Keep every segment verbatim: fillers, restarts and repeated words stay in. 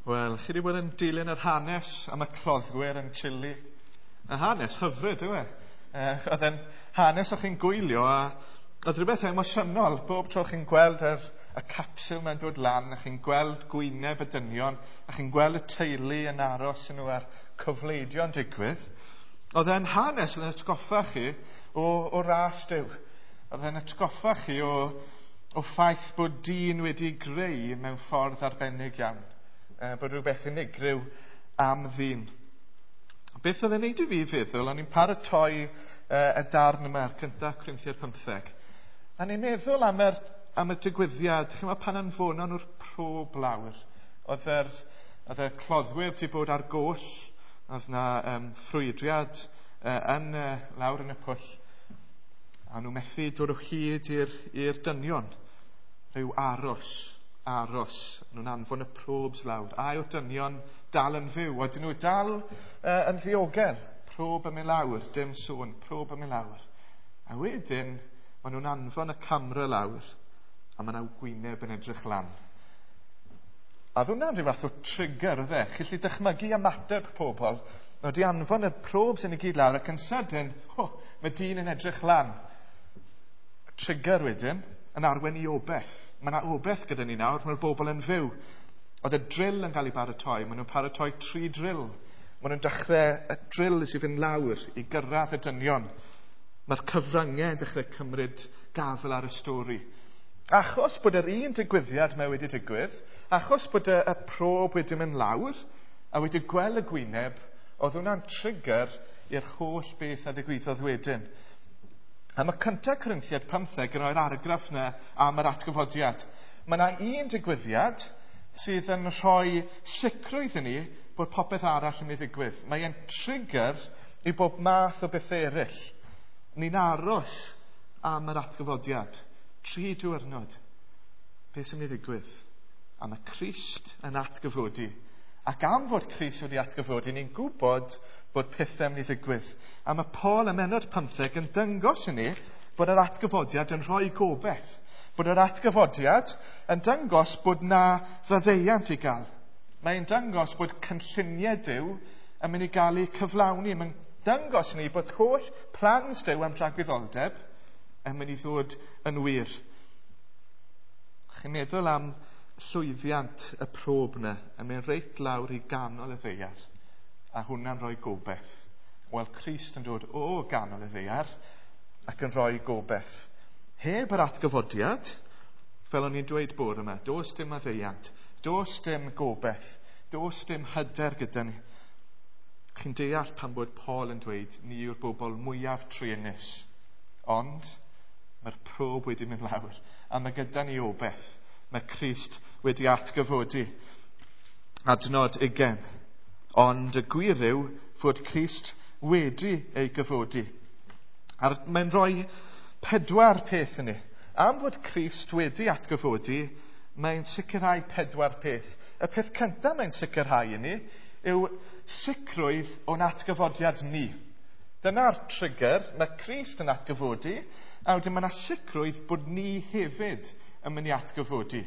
Wel, chi wedi bod yn dilyn yr hanes am y cloddwyr yn Chile. Y hanes hyfryd, yw e? Oedd e'n hanes o'ch chi'n gwylio a oedd rhywbeth emosiynol. Bob tro chi'n gweld yr, y capsiwl mae'n dod lan, a chi'n gweld gwyneb y dynion, a chi'n gweld y teulu yn aros yn nhw a'r cyfleidio'n digwydd. Oedd e'n hanes oedd yn atgoffa chi o, o ras Duw. Oedd e'n atgoffa chi o, o ffaith bod dyn wedi greu mewn ffordd arbennig iawn. Bod rhywbeth unigryw am ddyn. Beth oedd e'n neud i fi feddwl, o'n i'n paratoi uh, y darn yma, yr cyntaf Corinthiaid pymtheg. A ni'n meddwl am, yr, am y digwyddiad, chi'n pan anfonon nhw'r prob lawr. Oedd yr, oedd y cloddwyr wedi bod ar goll, oedd na um, ffrwydriad uh, yn, uh, lawr yn y pwll, a nhw methu dod o hyd i'r, i'r dynion. Rhyw aros. aros. Nhw'n anfon y probs lawr. A yw'r dynion dal yn fyw? Oedden nhw dal uh, yn ddiogel? Prob yn mynd lawr, dim sôn, prob yn mynd lawr. A wedyn, maen nhw'n anfon y camera lawr, a maen nhw'n gwyneb yn edrych lan. A oedd hwnna'n rhyw fath o trigger, oedd e? Chi'n gallu dychmygu ymateb pobl. Nhw wedi anfon y probs yn y gyd lawr, ac yn sydyn, oh, mae dyn yn edrych lan. Trigger wedyn, yn arwain i obeth. Mae yna obeth gyda ni nawr, mae'r bobl yn fyw. Oedd y drill yn cael ei baratoi, maen nhw'n paratoi tri drill. Maen nhw'n dechrau y drill sy'n fynd lawr i gyrraedd y dynion. Mae'r cyfryngau yn dechrau cymryd gafel ar y stori. Achos bod yr un digwyddiad mae wedi digwydd, achos bod y, y prob wedi mynd lawr a wedi gweld y gwyneb, oedd hwnna'n trigger i'r holl beth a ddigwyddodd wedyn. A mae cyntaf Corinthiaid pymtheg yn rhoi'r argraff yna am yr atgyfodiad. Mae yna un digwyddiad sydd yn rhoi sicrwydd i ni bod popeth arall yn mynd i ddigwydd. Mae e'n trigger i bob math o beth eraill. Ni'n aros am yr atgyfodiad. Tri diwrnod. Beth sy'n mynd i ddigwydd? A mae Crist yn atgyfodi. Ac am fod Crist wedi atgyfodi, ni'n gwybod bod pethau yn mynd i ddigwydd. A mae Paul ym mhennod pymtheg yn dangos i ni bod yr atgyfodiad yn rhoi gobaith. Bod yr atgyfodiad yn dangos bod na faddeuant i gael. Mae'n dangos bod cynlluniau Duw yn mynd i gael eu cyflawni. Mae'n dangos i ni bod holl plans Duw am dragwyddoldeb yn mynd i ddod yn wir. Chi'n meddwl am llwyddiant y prob yna yn mynd reit lawr i ganol y ddaear. A hwnna'n rhoi gobaith. Wel, Crist yn dod o ganol y ddaear ac yn rhoi gobaith. Heb yr atgyfodiad, fel o'n i'n dweud bore yma, does dim maddeuant, does dim gobaith, does dim hyder gyda ni. Chi'n deall pan bod Paul yn dweud, ni yw'r bobl mwyaf truenus. Ond mae'r prob wedi mynd lawr, a mae gyda ni obaith. Mae Crist wedi atgyfodi. Adnod ugain. Ond y gwir yw fod Crist wedi ei gyfodi. A mae'n rhoi pedwar peth i ni. Am fod Crist wedi atgyfodi, mae'n sicrhau pedwar peth. Y peth cyntaf mae'n sicrhau i ni yw sicrwydd o'n atgyfodiad ni. Dyna'r trigger, mae Crist yn atgyfodi, a wedyn mae yna sicrwydd bod ni hefyd yn mynd i atgyfodi.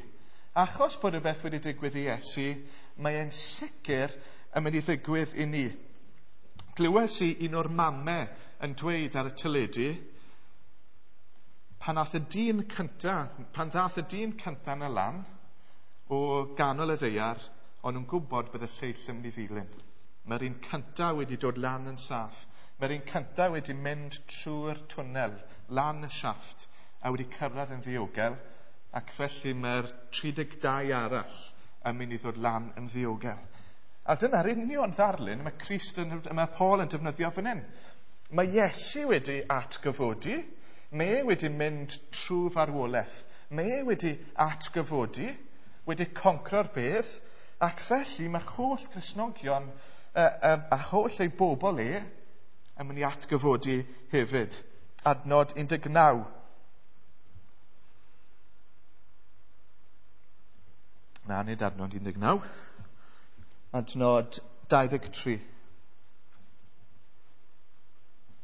Achos bod rhywbeth wedi digwydd i Iesu, mae'n sicr yn mynd i ddigwydd i ni. Glywes i un o'r mamau yn dweud ar y teledu, pan ath y dyn cynta, pan ddath y dyn cynta yn y lan o ganol y ddaear, o'n nhw'n gwybod bydd y lleill yn mynd i ddilyn. Mae'r un cynta wedi dod lan yn saff. Mae'r un cynta wedi mynd trwy'r twnnel, lan y siafft, a wedi cyrraedd yn ddiogel, ac felly mae'r tri deg dau arall yn mynd i ddod lan yn ddiogel. A dyna'r union ddarlun mae Crist yn, mae Paul yn defnyddio fan hyn. Mae Iesu wedi atgyfodi, mae e wedi mynd trwy farwolaeth, mae e wedi atgyfodi, wedi concro'r bedd, ac felly mae holl Cristnogion uh, uh, a holl ei bobl e yn mynd i atgyfodi hefyd. Adnod un deg naw. Na, nid adnod un deg naw. Adnod dau ddeg tri.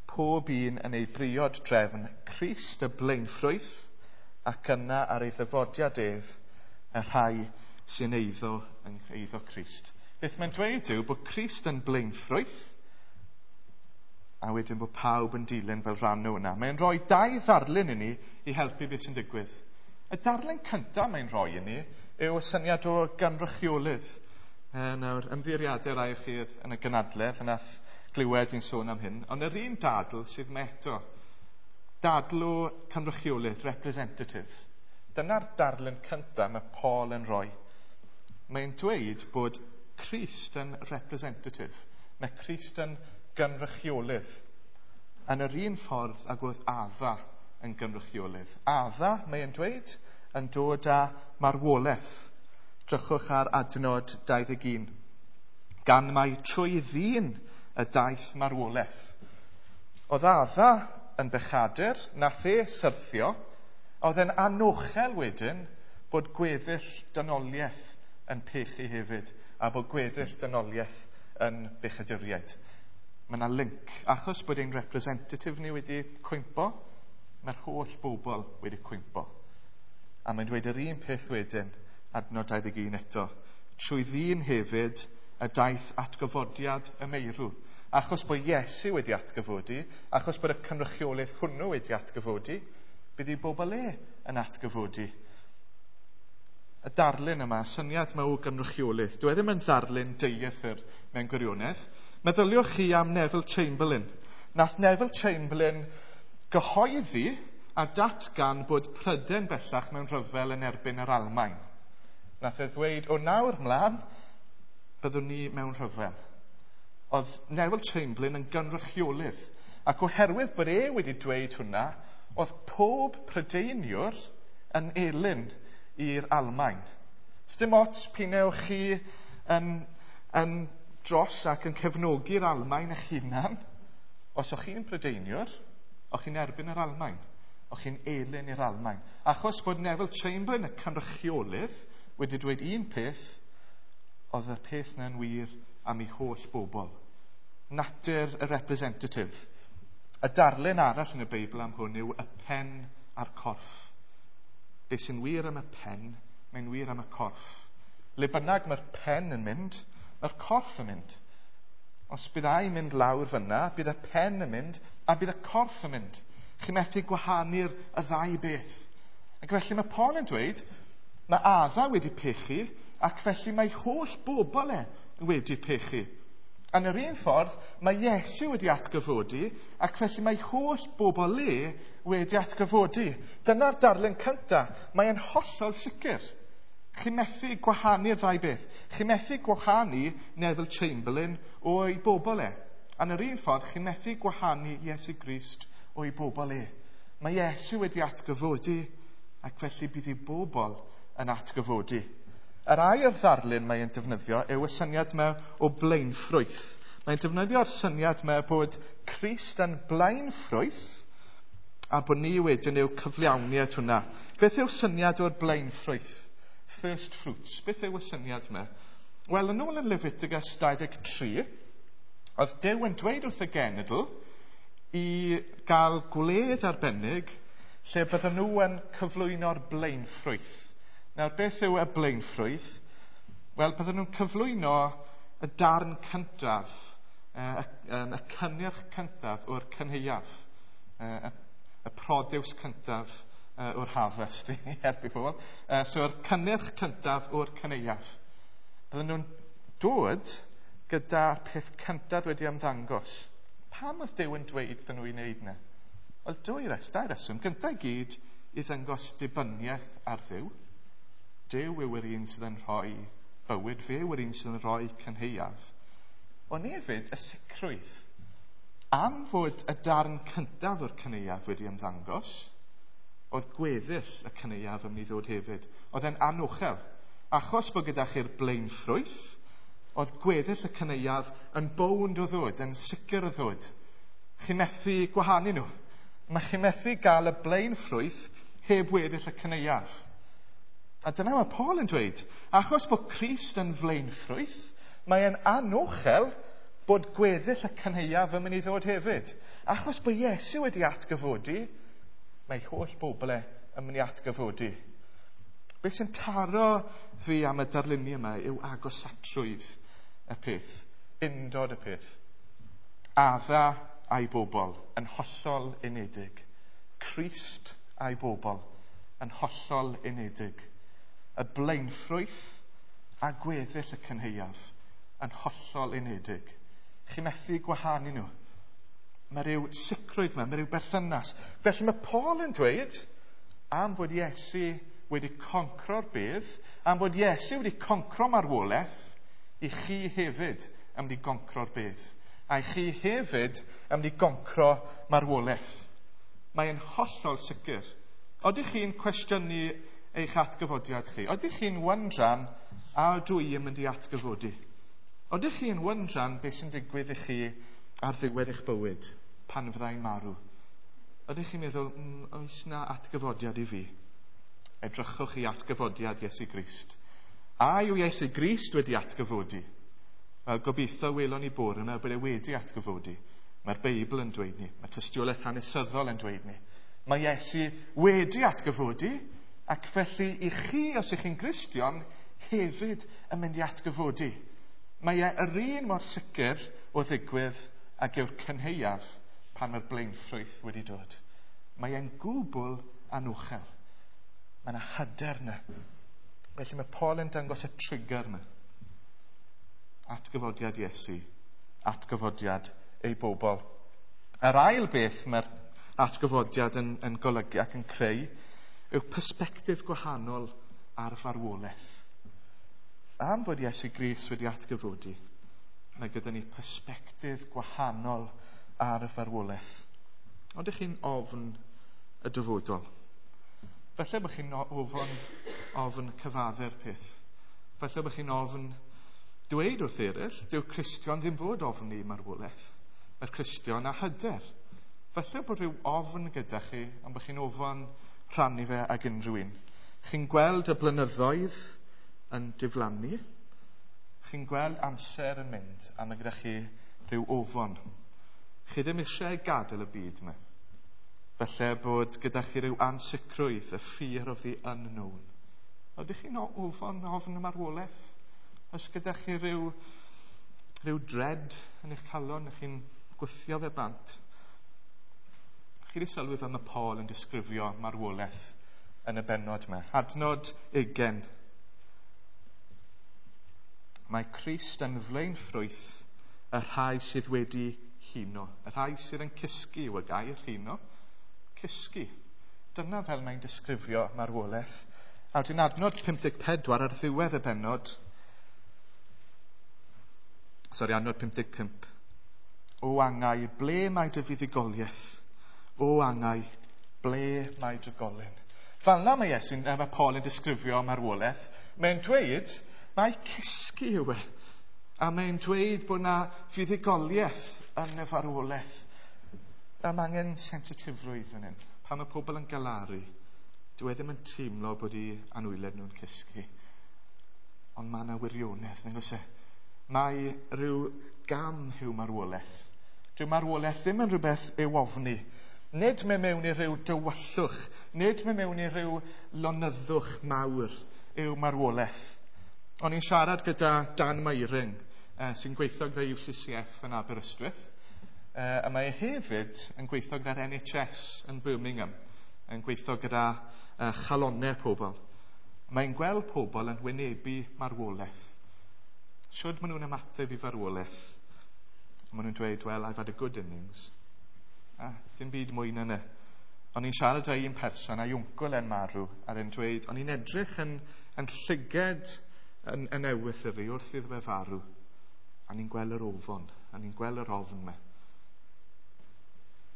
Pob un yn ei briod drefn, Crist y blaenffrwyth, ac yna ar ei ddyfodiad ef, y rhai sy'n eiddo yn eiddo Crist. Beth mae'n dweud yw bod Crist yn blaenffrwyth, a wedyn bod pawb yn dilyn fel rhan o hwnna. Mae'n rhoi dau ddarlun i ni i helpu beth sy'n digwydd. Y darlun cyntaf mae'n rhoi i ni yw y syniad o gynrychiolydd. E, nawr, ymddiheuriadau rai o chi yn y gynadledd, yn nath glywed fi'n sôn am hyn, ond yr un dadl sydd 'ma eto. Dadl o cynrychiolydd, representative. Dyna'r darlun cyntaf mae Paul yn rhoi. Mae'n dweud bod Crist yn representative. Mae Crist yn gynrychiolydd. Yn yr un ffordd ag oedd Adda yn gynrychiolydd. Adda, mae'n dweud, yn dod â marwolaeth. Drychwch ar adnod dau ddeg un. Gan mai trwy ddyn y daeth marwolaeth. Oedd Adda yn bechadur, nath e syrthio, oedd e'n anochel wedyn bod gweddill dynoliaeth yn pechu hefyd, a bod gweddill dynoliaeth yn bechaduriaid. Mae yna link. Achos bod ein representative ni wedi cwympo, mae'r holl bobl wedi cwympo. A mae'n dweud yr un peth wedyn, adnod dau ddeg un eto. Trwy ddyn hefyd y daeth atgyfodiad y meirw. Achos bod Iesu wedi atgyfodi, achos bod y cynrychiolaeth hwnnw wedi atgyfodi, bydd ei bobl e yn atgyfodi. Y darlun yma, syniad yma o gynrychiolaeth, dyw e ddim yn ddarlun dieithr mewn gwirionedd. Meddyliwch chi am Neville Chamberlain. Nath Neville Chamberlain gyhoeddi a datgan bod Prydain bellach mewn rhyfel yn erbyn yr Almaen. Nath e ddweud, o nawr mlaen, byddwn ni mewn rhyfel. Oedd Neville Chamberlain yn gynrychiolydd, ac oherwydd bod e wedi dweud hwnna, oedd pob Prydeiniwr yn elyn i'r Almaen. Sdim ots p'un ewch chi yn, yn dros ac yn cefnogi'r Almaen eich hunan. Os o'ch chi'n Prydeiniwr, o'ch chi'n erbyn yr Almaen, o'ch chi'n elyn i'r Almaen. Achos bod Neville Chamberlain, y cynrychiolydd, wedi dweud un peth, oedd y peth na'n wir am ei holl bobl. Natur y representative. Y darlun arall yn y Beibl am hwn yw y pen a'r corff. Be sy'n wir am y pen, mae'n wir am y corff. Le bynnag mae'r pen yn mynd, mae'r corff yn mynd. Os bydd ai'n mynd lawr fyna, bydd y pen yn mynd a bydd y corff yn mynd. Chi methu gwahanu'r y ddau beth. Ac felly mae Paul yn dweud, mae Adda wedi pechu, ac felly mae holl bobl e wedi pechu. Yn yr un ffordd, mae Iesu wedi atgyfodi, ac felly mae holl bobl e wedi atgyfodi. Dyna'r darlun cyntaf. Mae'n hollol sicr. Chi methu gwahanu'r ddau beth. Chi methu gwahanu Neville Chamberlain o'i bobl e. Yn yr un ffordd, chi methu gwahanu Iesu Grist o'i bobl e. Mae Iesu wedi atgyfodi, ac felly bydd ei bobl yn atgyfodi. Yr ail ddarlun mae'n defnyddio yw y syniad yma o blaenffrwyth. Mae'n defnyddio'r syniad yma bod Crist yn blaenffrwyth a bod ni wedyn yw cyflawniad hwnna. Beth yw'r syniad o'r blaenffrwyth? First fruits. Beth yw y syniad yma? Wel, yn ôl yn Leviticus dau ddeg tri, oedd Duw yn dweud wrth y genedl i gael gwledd arbennig lle bydden nhw yn cyflwyno'r blaenffrwyth. Nawr, beth yw y blaenffrwyth? Wel, bydden nhw'n cyflwyno y darn cyntaf, y, y, y cynnyrch cyntaf o'r cynhaeaf, y, y produce cyntaf o'r harvest, i helpu pobl. So'r cynnyrch cyntaf o'r cynhaeaf. Bydden nhw'n dod gyda'r peth cyntaf wedi ymddangos. Pam oedd Duw yn dweud iddyn nhw i wneud yna? Wel, dwy res, dau reswm. Gyntaf i gyd, i ddangos dibyniaeth ar Dduw. Duw yw yr un sydd yn rhoi bywyd, fe yw yr un sydd yn rhoi cynhaeaf. Ond hefyd, y sicrwydd. Am fod y darn cyntaf o'r cynhaeaf wedi ymddangos, oedd gweddill y cynhaeaf yn mynd i ddod hefyd. Oedd e'n anochel. Achos bod gyda chi'r blaenffrwyth, oedd gweddill y cynhaeaf yn bownd o ddod, yn sicr o ddod. Chi methu gwahanu nhw. Mae chi methu gael y blaenffrwyth heb weddill y cynhaeaf. A dyna mae Paul yn dweud, achos bod Crist yn flaenffrwyth, mae'n anochel bod gweddill y cynhaeaf yn mynd i ddod hefyd. Achos bod Iesu wedi atgyfodi, mae holl bobl e yn mynd i atgyfodi. Beth sy'n taro fi am y darluniau yma yw agosatrwydd y peth, undod y peth. Adda a'i bobl yn hollol unedig. Crist a'i bobl yn hollol unedig. Y blaenffrwyth a gweddill y cynhaeaf yn hollol unedig. Chi methu gwahanu nhw. Mae rhyw sicrwydd yma, mae rhyw berthynas. Felly mae Paul yn dweud am fod Iesu wedi concro'r bedd, am fod Iesu wedi concro marwolaeth, i chi hefyd yn mynd i goncro'r bedd. A i chi hefyd yn mynd i goncro marwolaeth. Mae'n hollol sicr. Oeddech chi'n cwestiynu eich atgyfodiad chi? Oeddech chi'n wyndran a ydw i yn mynd i atgyfodi? Oeddech chi'n wyndran beth sy'n digwydd i chi ar ddiwedd eich bywyd pan fyddai'n marw? Ydych chi'n meddwl, mm, oes na atgyfodiad i fi? Edrychwch i atgyfodiad Iesu Grist. A yw Iesu Grist wedi atgyfodi? Wel, gobeithio welon ni bore yma bod e wedi atgyfodi. Mae'r Beibl yn dweud ni, mae tystiolaeth hanesyddol yn dweud ni. Mae Iesu wedi atgyfodi, ac felly i chi, os ych chi'n Gristion, hefyd yn mynd i atgyfodi. Mae e yr un mor sicr o ddigwydd ag yw'r cynhaeaf pan mae'r blaenffrwyth wedi dod. Mae e'n gwbl anochel. Mae yna hyder yna. Felly mae Paul yn dangos y trigger yma. Atgyfodiad Iesu, atgyfodiad ei bobl. Yr ail beth mae'r atgyfodiad yn, yn golygu ac yn creu yw persbectif gwahanol ar farwolaeth. Am fod Iesu Grist wedi atgyfodi, mae gyda ni persbectif gwahanol ar y farwolaeth. Ond ydych chi'n ofn y dyfodol? Falle bod chi'n ofn, ofn cyfadde'r peth. Falle bod chi'n ofn dweud wrth eraill, dyw Cristion ddim fod ofn i marwolaeth. Mae'r Cristion a hyder. Falle bod rhyw ofn gyda chi, ond bod chi'n ofn rhannu fe ag unrhyw un. Chi'n gweld y blynyddoedd yn diflannu. Chi'n gweld amser yn mynd, a mae gyda chi rhyw ofon. Chi ddim eisiau gadael y byd yma. Falle bod gyda chi rhyw ansicrwydd, y fear of the unknown. Ydych chi'n ofon, ofn y marwolaeth? Oes gyda chi rhyw, rhyw dread yn eich calon, ych chi'n gwthio fe bant? Chi wedi sylwi fel mae Paul yn disgrifio marwolaeth yn y bennod yma. Adnod ugain. Mae Crist yn flaenffrwyth y rhai sydd wedi huno. Y rhai sydd yn cysgu yw y gair huno. Cysgu. Dyna fel mae'n disgrifio marwolaeth. A wedyn adnod pum deg pedwar ar ddiwedd y bennod. Sori, adnod pum deg pump. O angau, ble mae dy fuddugoliaeth? O angau, ble mae dy golyn? Fel yna mae Iesu'n, mae Paul yn disgrifio marwolaeth. Mae'n dweud, mae cysgu yw e. A mae'n dweud bod yna fuddugoliaeth yn y farwolaeth. A mae angen sensitifrwydd fan hyn. Pan mae pobl yn galaru, dyw e ddim yn teimlo bod eu anwyled nhw'n cysgu. Ond mae yna wirionedd, nag oes e? Mae rhyw gam yw marwolaeth. Dyw marwolaeth ddim yn rhywbeth i'w ofni. Nid mae mewn i rhyw dywyllwch, nid mae mewn i rhyw lonyddwch mawr yw marwolaeth. O'n i'n siarad gyda Dan Meiring, eh, sy'n gweithio gyda U C C F yn Aberystwyth, eh, a mae e hefyd yn gweithio gyda'r N H S yn Birmingham, yn gweithio gyda eh, chalonnau pobl. Mae'n gweld pobl yn wynebu marwolaeth. Shwd maen nhw'n ymateb i farwolaeth? Maen nhw'n dweud, well, I've had a good innings. Ah, dim byd mwy na 'ny. O'n i'n siarad â un person, a'i wncwl e'n marw, a e'n dweud, o'n i'n edrych yn, yn llyged yn, yn ewythr i wrth iddo fe farw. A ni'n gweld yr ofon, a ni'n gweld yr ofn 'ma.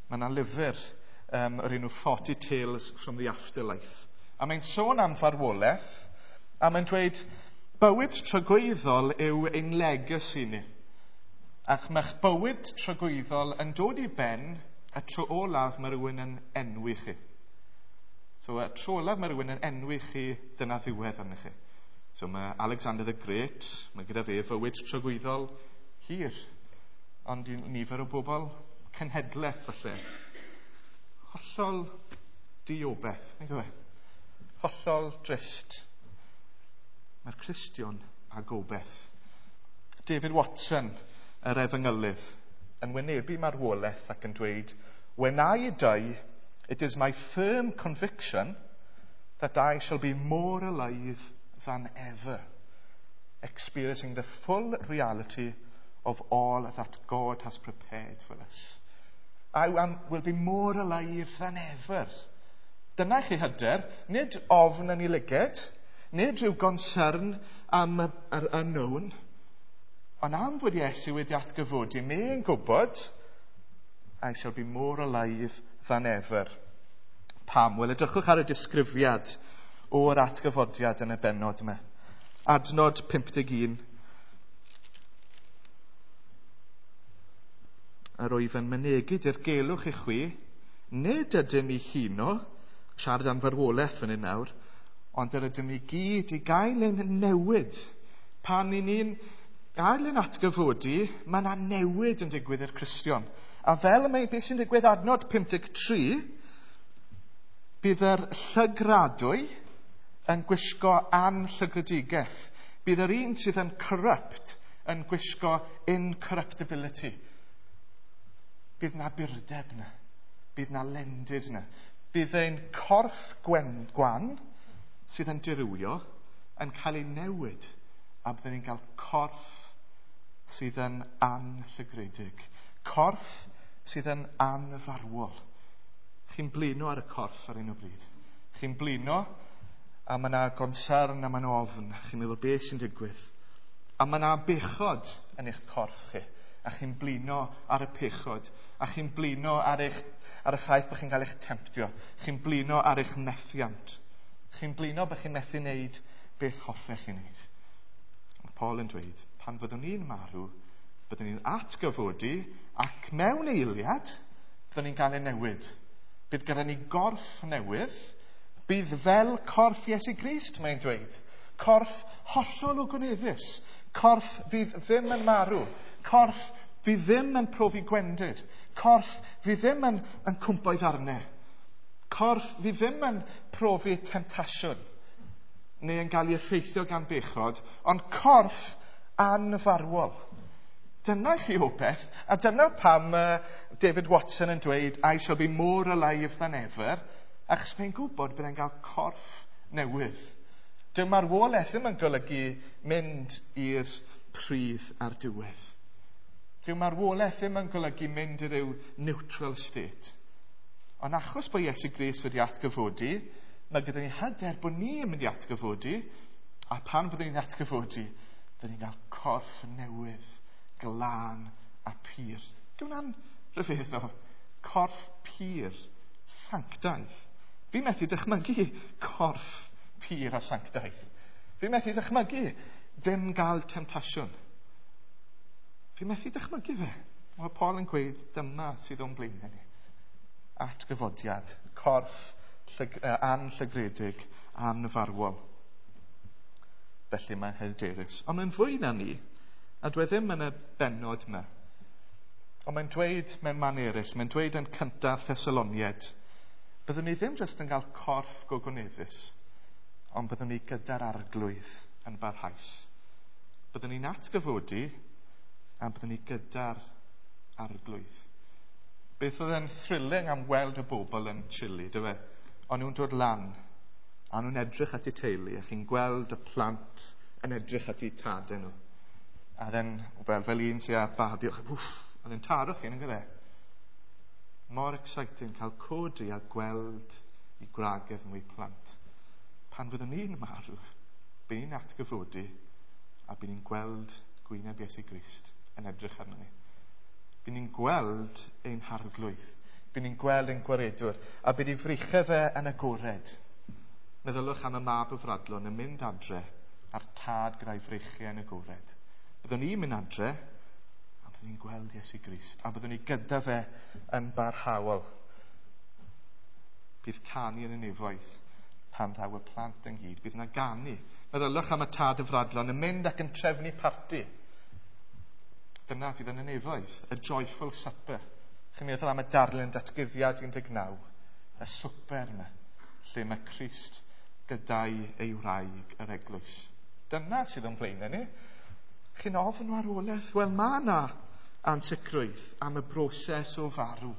Mae yna lyfr um, o'r enw forty Tales from the Afterlife. A mae'n sôn am farwolaeth, a mae'n dweud, bywyd tragwyddol yw ein legacy ni. Ac mae'ch bywyd tragwyddol yn dod i ben y tro olaf mae rhywun yn enwi chi. So y tro olaf mae rhywun yn enwi chi, dyna ddiwedd arnych chi. So mae Alexander the Great, mae gyda fe fywyd tragwyddol hir. Ond i nifer o bobl, cenhedlaeth falle. Hollol diobeth, nag yw e? Hollol drist. Mae'r Cristion a gobeith. David Watson, yr efengylydd, yn wynebu marwolaeth ac yn dweud, "When I die, it is my firm conviction that I shall be more alive than ever, experiencing the full reality of all that God has prepared for us." I am, will be more alive than ever. Dyna chi hyder, nid ofn yn ei lyged, nid rhyw gonsern am yr unknown, ond am fod Iesu wedi atgyfodi, mae'n gwybod, "I shall be more alive than ever." Pam? Wel, edrychwch ar y disgrifiad o'r atgyfodiad yn y bennod yma. Adnod pump deg un. Yr wyf yn mynegu dirgelwch i chwi, nid ydym i huno, siarad am farwolaeth fan hyn nawr, ond yr ydym i gyd i gael ein newid. Pan i ni'n gael ein atgyfodi, mae yna newid yn digwydd i'r Cristion. A fel mae beth sy'n digwydd adnod pump deg tri, bydd yr llygradwy yn gwisgo anllygredigaeth. Bydd yr un sydd yn corrupt yn gwisgo incorruptibility. Bydd na burdeb na. Bydd na lendid na. Bydd ein corff gwen, gwan sydd yn dirywio yn cael ei newid a byddwn ni'n cael corff sydd yn anllygredig. Corff sydd yn anfarwol. Chi'n blino ar y corff ar un o bryd. Chi'n blino a mae yna gonsern a mae yna ofn. Chi'n meddwl beth sy'n digwydd. A mae yna bechod yn eich corff chi. A chi'n blino ar y pechod. A chi'n blino ar, eich, ar y ffaith bod chi'n cael eich temtio. Chi'n blino ar eich methiant. Chi'n blino bod chi'n methu wneud beth hoffech chi wneud. Mae Paul yn dweud, pan fyddwn ni'n marw, byddwn ni'n atgyfodi ac mewn eiliad, byddwn ni'n cael ei newid. Bydd gyda ni gorff newydd, bydd fel corff Iesu Grist, mae'n dweud. Corff hollol ogoneddus. Corff fydd ddim yn marw. Corff fydd ddim yn profi gwendid. Corff fydd ddim yn, yn cwmpo i ddarnau. Corff fydd ddim yn profi temtasiwn neu yn cael ei effeithio gan bechod, ond corff anfarwol. Dyna chi obaith, a dyna pam uh, David Watson yn dweud, "I shall be more alive than ever," achos mae'n gwybod bydd e'n cael corff newydd. Dyw marwolaeth ddim yn golygu mynd i'r pridd ar diwedd. Dyw marwolaeth ddim yn golygu mynd i ryw neutral state. Ond achos bod Iesu Grist wedi atgyfodi, mae gyda ni hyder bod ni yn mynd i atgyfodi, a pan fyddwn ni'n atgyfodi, byddwn ni'n cael corff newydd, glân a pur. Dyw hwnna'n rhyfeddol? Corff pur, sanctaidd. Fi methu dychmygu corff pur a sanctaidd. Fi methu dychmygu ddim gael temtasiwn. Fi methu dychmygu fe. Mae Paul yn gweud dyma sydd o'n blaenau ni. Atgyfodiad, corff llyg, uh, anllygredig, anfarwol. Felly mae'n hyderus. Ond mae'n fwy na ni, a dwi e ddim yn y bennod yma. Ond mae'n dweud mewn man eraill, mae'n dweud yn cyntaf Thessaloniaid, byddwn ni ddim jyst yn cael corff gogoneddus, ond byddwn ni gyda'r Arglwydd yn barhaus. Byddwn ni'n atgyfodi a byddwn ni gyda'r Arglwydd. Beth oedd yn thrilling am weld y bobl yn Chile, dy fe? O'n nhw'n dod lan, a nhw'n edrych at eu teulu, a chi'n gweld y plant yn edrych at eu tadau nhw. A then, fel, fel un sy'n â babi, wff, oedd e'n taro chi, yn gyda. Mor exciting cael codi a gweld i gwragedd nhw, plant. Pan fyddwn ni'n marw, bydd ni'n atgyfodi a bydd ni'n gweld gwyneb Iesu Grist yn edrych arno ni. Bydd ni'n gweld ein Harglwydd. Bydd ni'n gweld ein Gwaredwr. A bydd ei freichau fe yn agored. Meddylwch am y mab y fradlon yn mynd adre a'r tad gyda'i freichiau yn agored. Byddwn ni'n mynd adre a byddwn ni'n gweld Iesu Grist. A byddwn ni gyda fe yn barhaol. Bydd canu yn y nefoedd pan ddaw y plant ynghyd. Bydd yna ganu. Meddylwch am y tad y fradlon yn mynd ac yn trefnu parti. Dyna fydd yn y nefoedd, y joyful supper. Chi'n meddwl am y darlun Datguddiad un deg naw, y swper yma, lle mae Crist gyda'i ei wraig, yr eglwys. Dyna sydd o'n blaenau ni. Chi'n ofn marwolaeth? Wel, mae yna ansicrwydd am y broses o farw.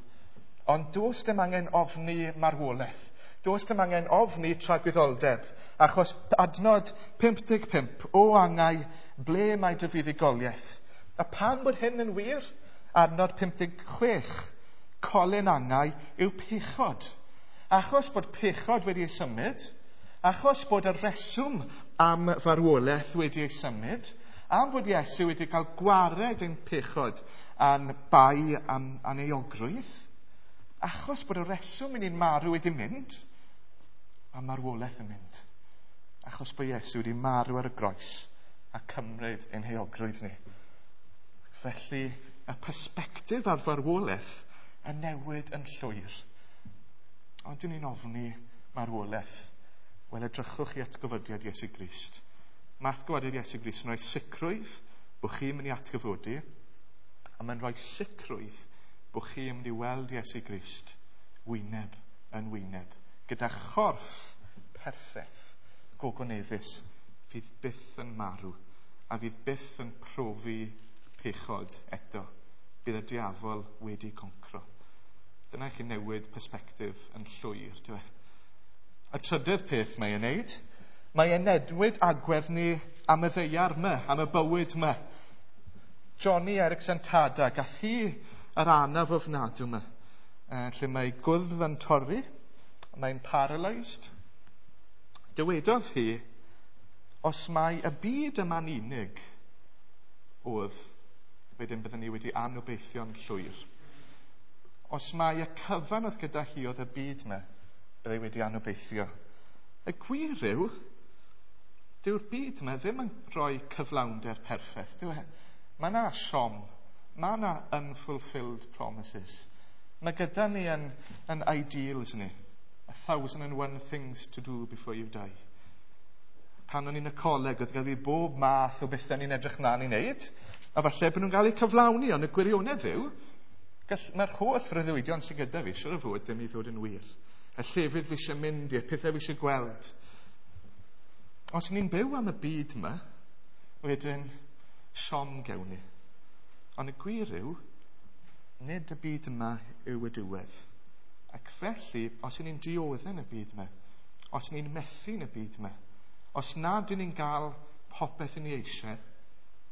Ond does dim angen ofni marwolaeth. Does dim angen ofni tragwyddoldeb. Achos adnod pump deg pump, o angau, ble mae dy fuddugoliaeth? A pam bod hyn yn wir? Adnod pump deg chwech, colyn angau yw pechod. Achos bod pechod wedi ei symud, achos bod y reswm am farwolaeth wedi ei symud, am fod Iesu wedi cael gwared ein pechod a'n bai am, a'n euogrwydd, achos bod y reswm i ni'n marw wedi mynd, mae marwolaeth yn mynd. Achos bod Iesu wedi marw ar y groes a cymryd ein heuogrwydd ni. Felly, y persbectif ar farwolaeth yn newid yn llwyr. Ond dyn ni'n ofni marwolaeth. Wel, edrychwch i atgyfodiad Iesu Grist. Mae atgyfodiad Iesu Grist yn rhoi sicrwydd bod chi'n mynd i atgyfodi, a mae'n rhoi sicrwydd bod chi'n mynd i weld Iesu Grist wyneb yn wyneb, gyda chorff perffaith, gogoneddus, fydd byth yn marw, a fydd byth yn profi pechod eto. Bydd y diafol wedi concro. Dyna i chi newid persbectif yn llwyr, dyw e? Y trydydd peth mae e'n neud, mae e'n newid agwedd ni am y ddaear yma, am y bywyd yma. Joni Eareckson Tada, gath hi yr anaf ofnadw yma, lle mae gwddf yn torri, mae'n paralysed. Dywedodd hi, os mae y byd yma'n unig oedd, wedyn byddwn ni wedi anobeithio'n llwyr. Os mae y cyfan oedd gyda hi oedd y byd yma, byddai wedi anobeithio. Y gwir yw, dyw'r byd yma ddim yn rhoi cyflawnder perffaith, dyw e? Mae yna siom, mae yna unfulfilled promises. Mae gyda ni yn, yn ideals ni. A thousand and one things to do before you die. Pan o'n i'n y coleg, oedd gyda fi bob math o bethau ni'n edrych mlaen i wneud, a falle bod nhw'n cael eu cyflawni, ond y gwirionedd yw, mae'r holl freuddwydion sydd gyda fi, siŵr o fod ddim i ddod yn wir. Y llefydd fi eisiau mynd i'r pethau fi eisiau gweld. Os ni'n byw am y byd yma, wedyn siom gewn ni. Ond y gwir yw, nid y byd yma yw y diwedd. Ac felly, os ni'n dioddef yn y byd yma, os ni'n methu yn y byd yma, os nad ydyn ni'n gael popeth yn ei eisiau,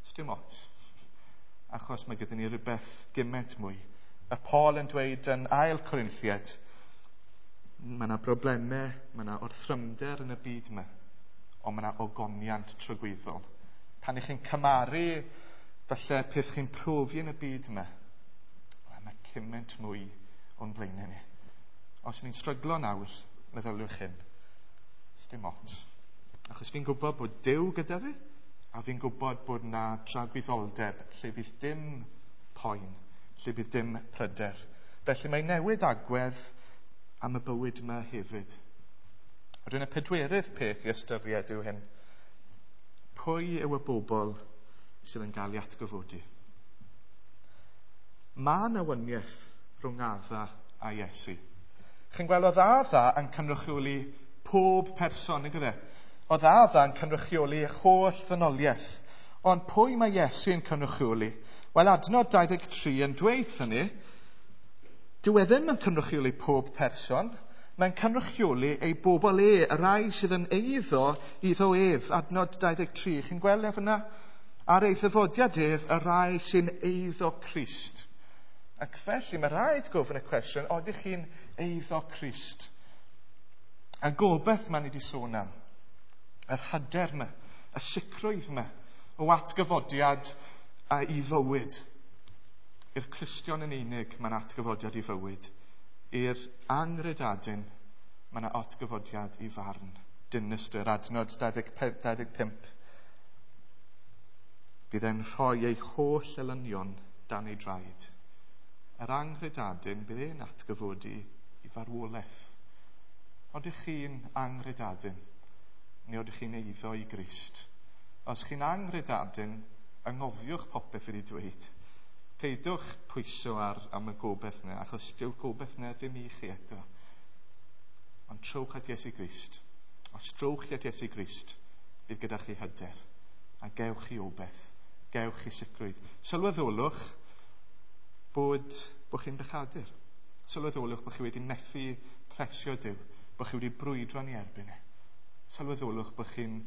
sdim ots. Achos mae gyda ni rhywbeth gymaint mwy. Y Paul yn dweud yn ail Corinthiaid, mae yna broblemau, mae yna orthrymder yn y byd yma, ond mae yna ogoniant tragwyddol. Pan ych chi'n cymaru, falle peth chi'n profi yn y byd yma, mae cymaint mwy o'n blaenau ni. Os ni'n stryglo nawr, meddyliwch hyn, sdim ots. Achos fi'n gwybod bod Duw gyda fi, a fi'n gwybod bod na dragwyddoldeb lle bydd dim poen, lle bydd dim pryder. Felly mae newid agwedd am y bywyd yma hefyd. Rwy'n y pedwerydd peth i ystyried yw hyn. Pwy yw y bobl sydd yn cael ei atgyfodi? Mae yna waniaeth rhwng Adda a Iesu. Chi'n gweld oedd Adda yn cynrychioli pob person, nag oedd e? Oedd Adda yn cynrychioli holl ddynoliaeth. Ond pwy mae Iesu yn cynrychioli? Wel, adnod dau ddeg tri yn dweud hynny, dyw e ddim yn cynrychioli pob person, mae'n cynrychioli ei bobl e, y rai sydd yn eiddo iddo ef. Adnod dau ddeg tri, chi'n gweld ef yna? Ar ei ddyfodiad ef, y rai sy'n eiddo Crist. Ac felly mae rhaid gofyn y cwestiwn, odych chi'n eiddo Crist? A gobeith mae ni wedi sôn am, yr hyder yma, y sicrwydd yma, o atgyfodiad a i fywyd. I'r Cristion yn unig mae'n atgyfodiad i fywyd. I'r angredadun mae yna atgyfodiad i farn. Dinistr, adnod dau ddeg pump. Bydd e'n rhoi ei holl elynion dan ei draed. Yr angredadun bydd e'n atgyfodi i farwolaeth. Odych chi'n angredadun, neu odych chi'n eiddo i Grist? Os chi'n angredadun, angofiwch popeth wedi dweud. Peidwch pwyso ar am y gobeith yna, achos dyw'r gobeith yna ddim i chi eto. Ond trowch at Iesu Grist. Os trowch chi at Iesu Grist, Bydd gyda chi hyder. A gewch chi obaith. Gewch chi sicrwydd. Sylweddolwch bod, bod chi'n bechadur. Sylweddolwch bod chi wedi methu plesio Duw. Bod chi wedi brwydro yn ei erbyn e. Sylweddolwch bod chi'n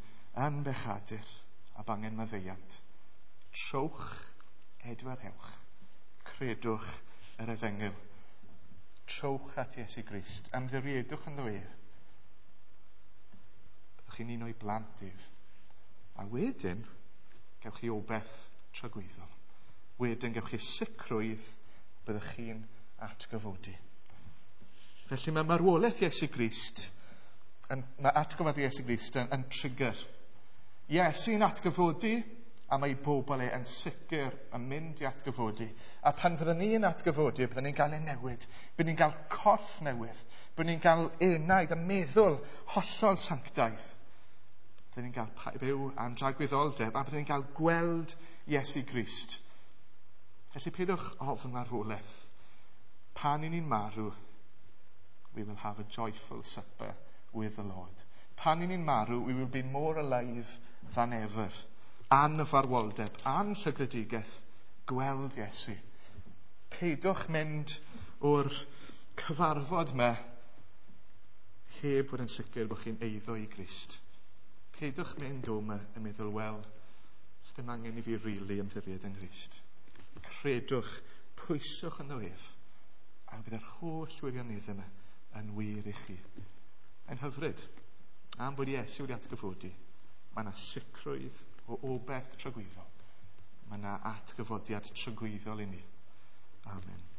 yn bechadur a bangen maddeuant. Trowch, edwarhewch. Credwch yr efengyl. Trowch at Iesu Grist. Ymddiriedwch ynddo ef. Byddwch chi'n un o'i blant ef. A wedyn, gewch chi obaith tragwyddol. Wedyn, gewch chi sicrwydd byddwch chi'n atgyfodi. Felly mae marwolaeth Iesu Grist, yn, mae atgyfodi Iesu Grist yn, yn trigger. Iesu'n atgyfodi, a mae bobl e yn sicr yn mynd i atgyfodi. A pan fyddwn ni'n atgyfodi, byddwn ni'n cael ei newid. Byddwn ni'n cael corff newydd. Byddwn ni'n cael enaid a meddwl hollol sanctaidd. Byddwn ni'n cael byw am dragwyddoldeb a byddwn ni'n cael gweld Iesu Grist. Felly peidiwch ofn marwolaeth. Pan i ni'n marw, we will have a joyful supper with the Lord. Pan i ni'n marw, we will be more alive than ever. Anfarwoldeb, anllygredigaeth, gweld Iesu. Peidiwch mynd o'r cyfarfod yma heb fod yn sicr bod chi'n eiddo i Grist. Peidiwch mynd o yma yn meddwl, wel, dim angen i fi rili ymddiried yng Nghrist. Credwch, pwyswch ynddo ef, a bydd yr holl wirionedd yma yn wir i chi. Yn hyfryd, am fod Iesu wedi atgyfodi, mae yna sicrwydd o obaith tragwyddol. Mae yna atgyfodiad tragwyddol i ni. Amen.